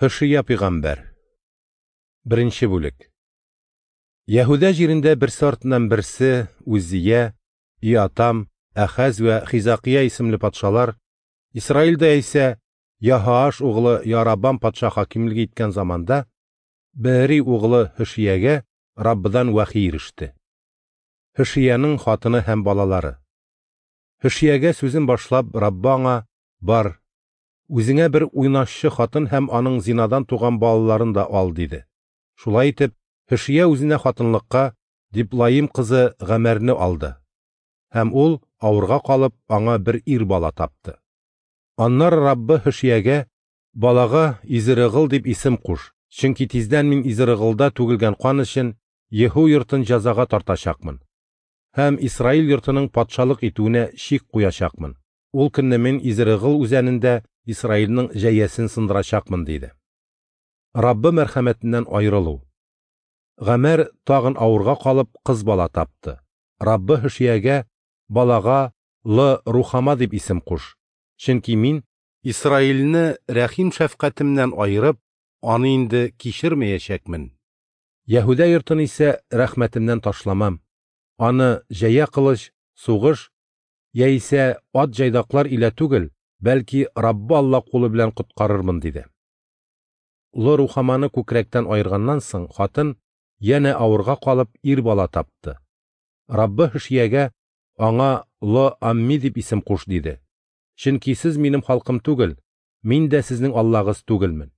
Һөшия пәйгамбәр. Беренче бүлек. Яһүдә җирендә берсе артыннан берсе Үзия, Иатам, Әхәз вә Хизакия исемле патшалар, Исраилдә исә Яһоаш углы Ярабам патша хакимлек иткән заманда Беэри углы Һөшиягә Раббыдан вәхи иреште. Һөшиянең хатыны һәм балалары. Һөшиягә сүзен башлап, Раббы аңа: "Бар, үзеңә бер уйнашчы хатын һәм аның зинадан туган балаларын да ал", диде. Шулай итеп, Һөшия үзенә хатынлыкка Диплаим кызы Гамәрне алды. Һәм ул авырга калып, аңа бер ир бала тапты. Аннары Раббы Һөшиягә: "Балага Изрыгыл дип исем куш, чөнки тиздән мин Изрыгылда түгелгән кан өчен Еһу йортын җәзага тартачакмын һәм Исраил йортының патшалык итүенә чик куячакмын. Ул көнне мин Изрыгыл үзәнендә Исраилнең җәясен сындырачакмын", диде. Раббы мәрхәмәтеннән аерылу. Гамәр тагын авырга калып, кыз бала тапты. Раббы Һөшиягә: "Балага Лы Рухама дип исем куш, чөнки мин Исраилне рәхим шәфкатемнән аерып, аны инде кичермәячәкмен. Яһүдә йортын исә рәхмәтемнән ташламам. Аны җәя кылыч, сугыш яисә ат җайдаклар илә түгел, бәлки Раббы Алла кулы белән коткарырмын", диде. Лы Рухаманы күкрәктән аерганнан соң хатын янә авырга калып ир бала тапты. Раббы Һөшиягә: "Аңа Ло Амми дип исем куш", диде. Чөнки сез минем халкым түгел, мин дә сезнең Аллагыз түгелмен.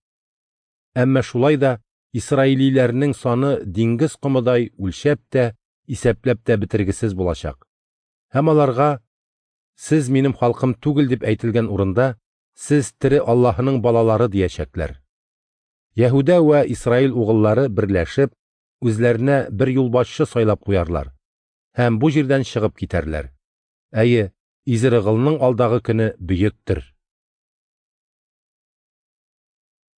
Әмма шулай да исраилиләрнең саны диңгез комыдай үлчәп тә, исәпләп тә бетергесез булачак. Һәм аларга: "Сез минем халкым түгел" дип әйтелгән урында, "Сез тере Аллаһының балалары" диячәкләр. Яһүдә вә Исраил угыллары берләшеп, үзләренә бер юлбашчы сайлап куярлар һәм бу җирдән чыгып китәрләр. Әйе, Изрыгылның алдагы көне бөектер.